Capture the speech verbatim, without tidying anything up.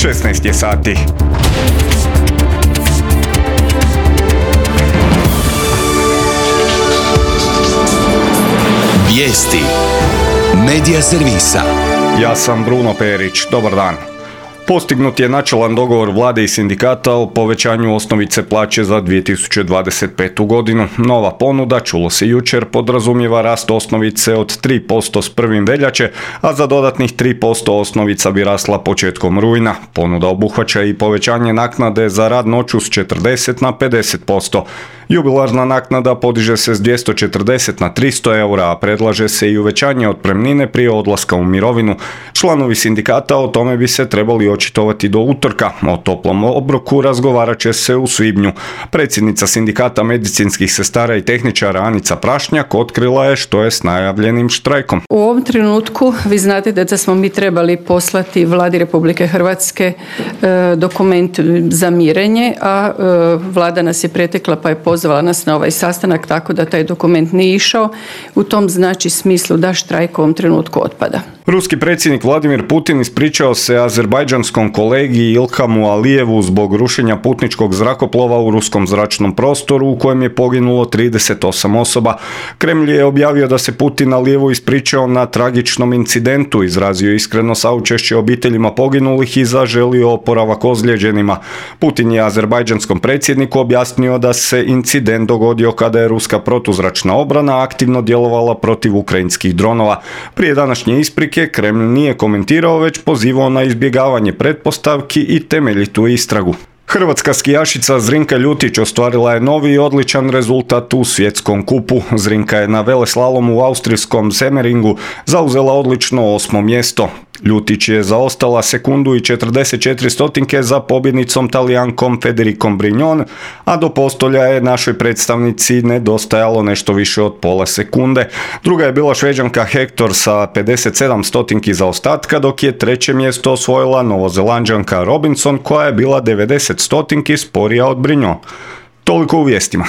šesnaest je sati. Vijesti Medija servisa. Ja sam Bruno Perić, dobar dan. Postignut je načelan dogovor vlade i sindikata o povećanju osnovice plaće za dvije tisuće dvadeset petu. godinu. Nova ponuda, čulo se jučer, podrazumijeva rast osnovice od tri posto s prvim veljače, a za dodatnih tri posto osnovica bi rasla početkom rujna. Ponuda obuhvaća i povećanje naknade za rad noću s četrdeset na pedeset posto. Jubilarna naknada podiže se s dvjesto četrdeset na tristo eura, a predlaže se i uvećanje otpremnine prije odlaska u mirovinu. Članovi sindikata o tome bi se trebali očitovati do utorka. O toplom obroku razgovarat će se u svibnju. Predsjednica sindikata medicinskih sestara i tehničara Anica Prašnjak otkrila je što je s najavljenim štrajkom. U ovom trenutku vi znate da smo mi trebali poslati Vladi Republike Hrvatske e, dokument za mirenje, a e, Vlada nas je pretekla pa je pozvala nas na ovaj sastanak, tako da taj dokument nije išao. U tom znači smislu da štrajk u ovom trenutku otpada. Ruski predsjednik Vladimir Putin ispričao se azerbajdžanskom kolegi Ilhamu Alijevu zbog rušenja putničkog zrakoplova u ruskom zračnom prostoru u kojem je poginulo trideset osam osoba. Kremlj je objavio da se Putin Alijevu ispričao na tragičnom incidentu, izrazio iskreno saučešće obiteljima poginulih i zaželio oporavak ozlijeđenima. Putin je azerbajdžanskom predsjedniku objasnio da se incident dogodio kada je ruska protuzračna obrana aktivno djelovala protiv ukrajinskih dronova. Prije današnje isprike Kremlj nije komentirao, već pozivao na izbjegavanje pretpostavki i temeljitu istragu. Hrvatska skijašica Zrinka Ljutić ostvarila je novi i odličan rezultat u svjetskom kupu. Zrinka je na veleslalomu u austrijskom Semmeringu zauzela odlično osmo mjesto. Ljutić je zaostala sekundu i četrdeset četiri stotinke za pobjednicom Talijankom Federikom Brignon, a do postolja je našoj predstavnici nedostajalo nešto više od pola sekunde. Druga je bila Šveđanka Hector sa pedeset sedam stotinki zaostatka, dok je treće mjesto osvojila Novozelanđanka Robinson koja je bila devedeset stotinki sporija od Brignon. Toliko u vijestima.